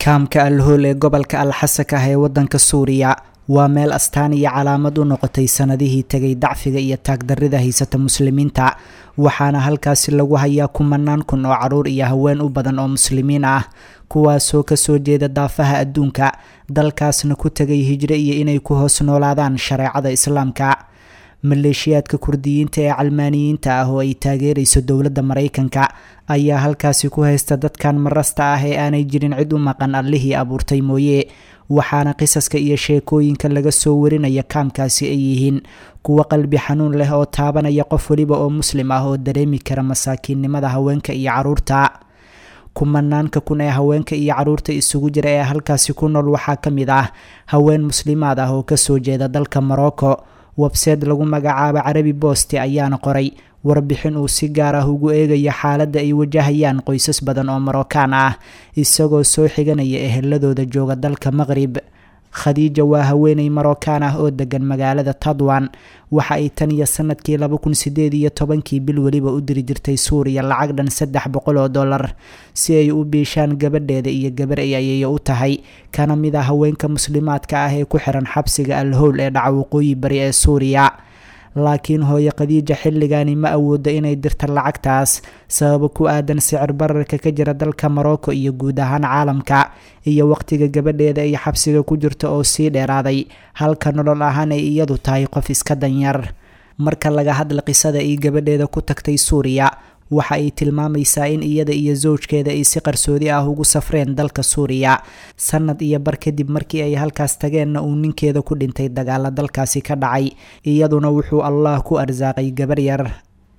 Kaamka Alhool ee gobolka Alxasak ah ee waddanka Suuriya waa meel astaan iyo calaamad u noqotay sanadihii tegay dacfiga iyo taagdarrida haysata muslimiinta, waxaana halkaasi lagu hayaa kumanaan kun oo caruur iyo haween u badan oo muslimiin ah, kuwaasoo kasoo jeeda daafaha adduunka, dalkaasna ku tegay hijro iyo inay ku hoos noolaadaan shareecada Islaamka. Maleeshiyaadka Kurdiyiinta ee calmaaniyiinta ah oo ay taageerayso dowladda Maraykanka ayaa halkaasi ku haysta dadkan marasta ah ee aanay jirin cid u maqan Allihii abuurtay mooye, waxaana qisaska iyo sheekooyinka laga soo warinaya kaamkaasi ay yihiin kuwo qalbi xanuun leh oo taabanaya qof weliba oo muslim ah oo dareemi kara masaakiinnimada haweenka iyo caruurta. Kumanaanka kun ee haweenka iyo caruurta isugu jira ee halkaasi ku nool waxaa ka mid ah haween muslimaad ah oo kasoo jeeda dalka Morocco. Webseed lagu magacaabo Carabi Bosti ayaana qoray warbixin uu si gaar ah ugu eegayo xaaladda ay wajahayaan qoysas badan oo Marookaan ah, isagoo soo xiganaya eheladooda jooga dalka Maqrib. Khadiija waa haweeney Marookaan ah oo degan magaalada Tadwan. Waxa ay tan iyo sanadkii 2018-kii bil weliba u diri jirtay Suuriya lacag dhan $300 si ay u biishaan gabadheeda iyo gabar ay ayeeyo u tahay, kana mid ah haweenka muslimaadka ah ee ku xiran xabsiga Alhowl ee dhaca waqooyi bari ee Suuriya. Laakiin hooyo Khadiija xilligaani ma awoodo inay dirta lacagtaas sababo ku aadan sicir bararka ka jira dalka Morocco iyo guud ahaan caalamka, iyo waqtiga gabadheeda ay xabsiga ku jirto oo sii dheeraaday, halka nolol ahaan ay iyadu tahay qof iska danyar. Marka laga hadla qisada ay gabadheeda ku tagtay Suuriya, waxa ay tilmaamaysaa in iyada iyo sawjkeeda ay si qarsoodi ah ugu safreen dalka Suuriya sanad iyo bar kadib. Markii ay halkaas tageenna uu ninkeeda ku dhintay dagaala dalkaasi ka dhacay, iyaduna wuxuu Allah ku arsaaqay gabar yar.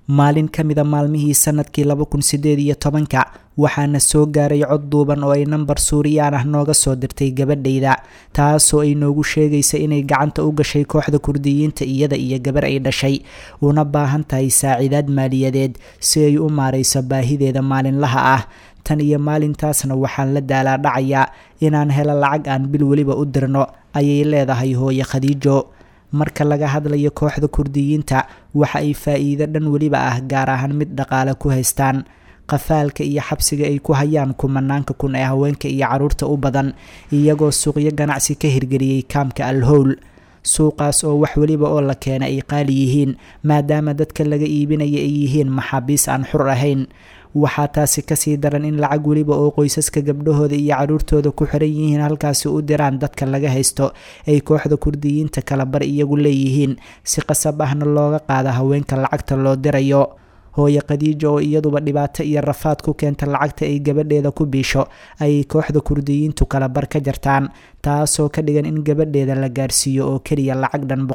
Maalin ka mida maalmihii sanadkii 2018-ka waxaana soo gaaray cod duuban oo ay nambar Suuriyaan ah nooga soo dirtay gabadhayda, taasoo ay noogu sheegaysa inay gacanta u gashay kooxda Kurdiyiinta, iyada iyo gabar ay dhashay, una baahan tahay saaciidaad maaliyadeed si ay u maarayso baahideeda maalinlaha ah. Tan iyo maalintaasna waxaan la daalaa dhacayaa inaan helo lacag aan bil weliba u dirno, ayay leedahay hooye Khadiijo. Marka laga hadlayo kooxda Kurdiyiinta, waxa ay faa-iido dhan weliba ah, gaar ahaan mid dhaqaale, ku haystaan qafaalka iyo xabsiga ay ku hayaan kumanaanka kun ee haweenka iyo caruurta u badan, iyagoo suuqyo ganacsi ka hirgeliyey kaamka Alhowl, suuqaas oo wax weliba oo la keena ay qaali yihiin maadaama dadka laga iibinaya ay yihiin maxaabiis aan xur ahayn. Waxaa taasi kasii daran in lacag weliba oo qoysaska gabdhahooda iyo caruurtooda ku xiran yihiin halkaasi u diraan dadka laga haysto ay kooxda Kurdiyiinta kala bar iyagu leeyihiin, si qasab ahna looga qaada haweenka lacagta loo dirayo. Hooye Khadiija oo iyaduba dhibaato iyo rafaad ku keenta lacagta ay gabadheeda ku biisho ayay kooxda Kurdiyiintu kala bar ka jartaan, taasoo ka dhigan in gabadheeda la gaarsiiyo oo keliya lacag dhan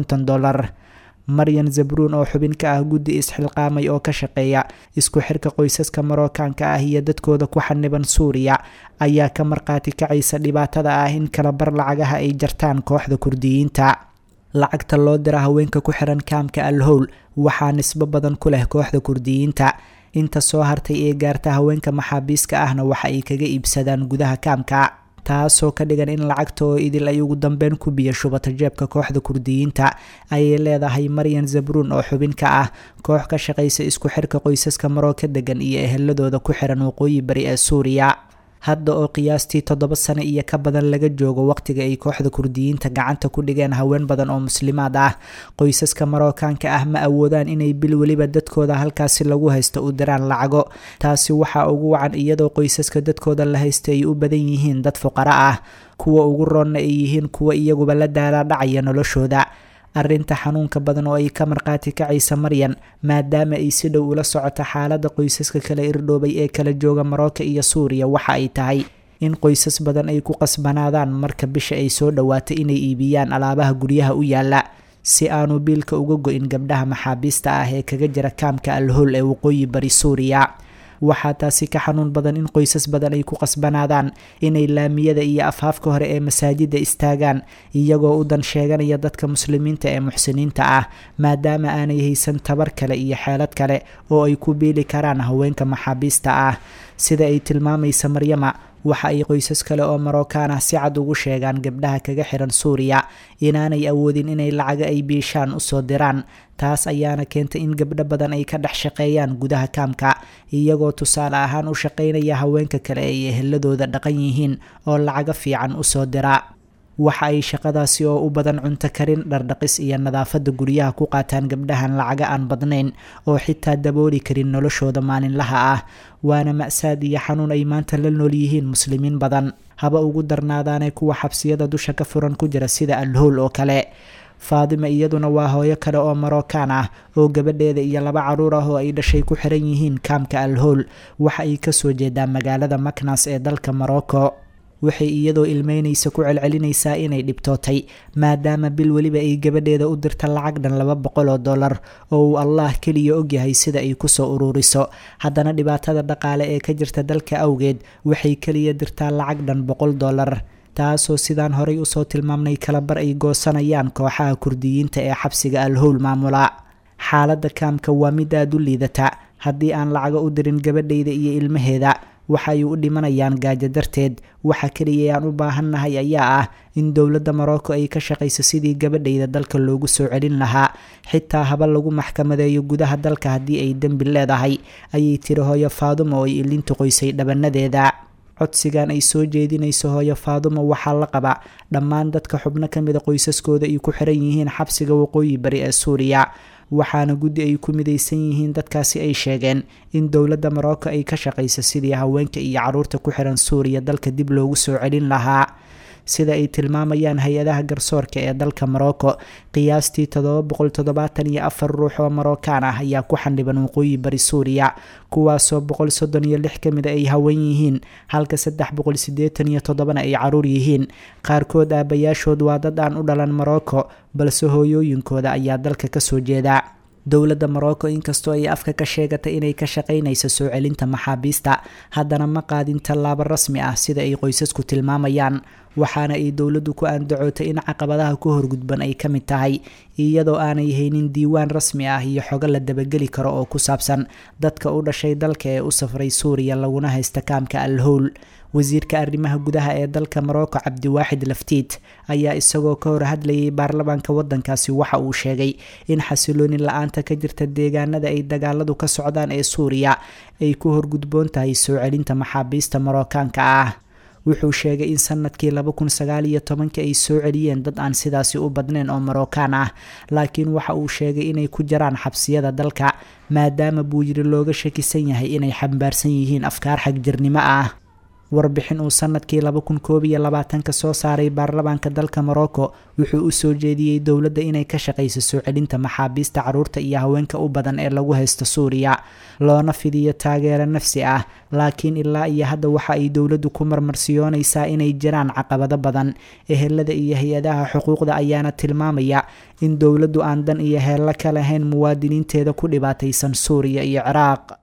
$150. Maryan Zabruun oo xubin ka ah guddi isxilqaamay oo ka shaqeeya isku xirka qoysaska Marookaanka ah iyo dadkooda ku xaniban Suuriya ayaa ka markhaati kacaysa dhibaatada ah in kala bar lacagaha ay jartaan kooxda Kurdiyiinta. Lacagta loo dira haweenka ku xiran kaamka Alhowl waxaa nisbo badan ku leh kooxda Kurdiyiinta. Inta soo hartay ee gaarta haweenka maxaabiiska ahna waxa ay kaga iibsadaan gudaha kaamka, taasoo ka dhigan in lacagta oo idil ay ugu dambeyn ku biyo shubato jeebka kooxda Kurdiyiinta, ayay leedahay Maryan Zabruun oo xubin ka ah koox ka shaqaysa isku xirka qoysaska Marooka degan iyo eheladooda ku xiran waqooyi bari ee Suuriya. Hadda oo qiyaastii 7 sano iyo ka badan laga joogo waqtiga ay kooxda Kurdiyiinta gacanta ku dhigeen haween badan oo muslimaad ah, qoysaska Marookaanka ah ma awoodaan inay bil weliba dadkooda halkaasi lagu haysto u diraan lacago. Taasi waxaa ugu wacan iyadoo qoysaska dadkooda la haysta ay u badan yihiin dad fuqara ah, kuwa ugu roonna ay yihiin kuwa iyaguba la daalaa dhacaya noloshooda. Arrinta xanuunka badan oo ay ka markhaati kacaysa Maryan, maadaama ay si dhow ula socoto xaaladda qoysaska kala irdhoobay ee kala jooga Marooka iyo Suuriya, waxa ay tahay in qoysas badan ay ku qasbanaadaan marka bisha ay soo dhowaato inay iibiyaan alaabaha guryaha u yaala si aanu biilka uga go-in gabdhaha maxaabiista ah ee kaga jira kaamka Alhowl ee waqooyi bari Suuriya. Waxaa taasi ka xanuun badan in qoysas badan ay ku qasbanaadaan inay laamiyada iyo afhaafka hore ee masaajida istaagaan, iyagoo u dan sheeganaya dadka muslimiinta ee muxsiniinta ah, maadaama aanay haysan tabar kale iyo xeelad kale oo ay ku biili karaan haweenka maxaabiista ah. Sida ay tilmaamaysa Maryama, Waxa ay qoysas kale oo Marookaan ah si cad ugu sheegaan gabdhaha kaga xiran Suuriya inaanay awoodin inay lacaga ay biishaan usoo diraan. Taas ayaana keentay in gabdho badan ay ka dhex shaqeeyaan gudaha kaamka, iyagoo tusaale ahaan u shaqeynaya haweenka kale ay eheladooda dhaqan yihiin oo lacaga fiican usoo dira. Waxa ay shaqadaasi oo u badan cunto karin, dhardhaqis iyo nadaafadda guryaha ku qaataan gabdhahan lacaga aan badnayn oo xitaa dabooli karin noloshooda maalinlaha ah. Waana ma'saad iyo xanuun ay maanta la nool yihiin muslimiin badan, haba ugu darnaadaanee kuwa xabsiyada dusha ka furan ku jira sida Alhowl oo kale. Faadima iyaduna waa hooyo kale oo Marookaan ah oo gabadheeda iyo laba caruur ah oo ay dhashay ku xiran yihiin kaamka Alhowl. Waxa ay kasoo jeedaa magaalada Maknas ee dalka Morocco. Waxay iyadoo ilmeynaysa ku celcelinaysaa inay dhibtootay, maadaama bil weliba ay gabadheeda u dirta lacag dhan $200 oo uu Allah keliya ogyahay sida ay kusoo uruuriso. Haddana dhibaatada dhaqaale ee ka jirta dalka awgeed waxay keliya dirtaa lacag dhan $100, taasoo sidaan horay usoo tilmaamnay kalabar ay goosanayaan kooxaha Kurdiyiinta ee xabsiga Alhowl maamula. Xaaladda kaamka waa mid aada u liidata. Haddii aan lacago u dirin gabadhayda iyo ilmaheeda, waxa ay u dhimanayaan gaajo darteed. Waxa keliya aan u baahannahay ayaa ah in dowladda Morocco ay ka shaqayso sidii gabadhayda dalka loogu soo celin lahaa, xitaa haba lagu maxkamadeeyo gudaha dalka haddii ay dembi leedahay, ayay tiri hooyo Faadumo oo ay ilintu qoysay dhabanadeeda. Codsigan ay soo jeedinayso hooyo Faadumo waxaa la qaba dhammaan dadka xubno ka mida qoysaskooda ay ku xiran yihiin xabsiga waqooyi bari ee Suuriya, waxaana guddi ay ku midaysan yihiin dadkaasi ay sheegeen in dowladda Morocco ay ka shaqayso sidii haweenka iyo caruurta ku xiran Suuriya dalka dib loogu soo celin lahaa. Sida ay tilmaamayaan hay-adaha garsoorka ee dalka Morocco, qiyaastii 774 ruux oo Marookaan ah ayaa ku xandhiban waqooyi bari Suuriya, kuwaasoo 136 ka mid ay haween yihiin, halka 387na ay caruur yihiin. Qaarkood aabayaashood waa dad aan u dhalan Morocco, balse hooyooyinkooda ayaa dalka kasoo jeeda. Dowladda Morocco inkastoo ay afka ka sheegatay inay ka shaqaynayso soo celinta maxaabiista, haddana ma qaadin tallaabo rasmi ah sida ay qoysasku tilmaamayaan. Waxaana ay dowladdu ku andacootay in caqabadaha ku horgudban ay ka mid tahay iyadoo aanay haynin diiwaan rasmi ah iyo xogo la dabageli karo oo ku saabsan dadka u dhashay dalka ee u safray Suuriya laguna haysta kaamka Alhowl. Wasiirka arrimaha gudaha ee dalka Morocco, Cabdiwaaxid Laftiit, ayaa isagoo ka hor hadlayay baarlamaanka waddankaasi waxa uu sheegay in xasilooni la-aanta ka jirta deegaanada ay dagaaladu ka socdaan ee Suuriya ay ku horgudboon tahay soo celinta maxaabiista Marookaanka ah. Wuxuu sheegay in sanadkii 2019 ay soo celiyeen dad aan sidaasi u badnayn oo Marookaan ah, laakiin waxa uu sheegay inay ku jiraan xabsiyada dalka maadaama buu yiri looga shakisan yahay inay xambaarsan yihiin afkaar xagjirnimo ah. Warbixin uu sanadkii 2021 soo saaray baarlamaanka dalka Morocco wuxuu u soo jeediyey dowladda inay ka shaqayso soo celinta maxaabiista caruurta iyo haweenka u badan ee lagu haysto Suuriya, loona fidiyo taageero nafsi ah. Laakiin ilaa iyo hadda waxa ay dowladdu ku marmarsiyoonaysaa inay jiraan caqabado badan. Ehelada iyo hay-adaha xuquuqda ayaana tilmaamaya in dowladdu aan dan iyo heello ka lahayn muwaadiniinteeda ku dhibaataysan Suuriya iyo Ciraaq.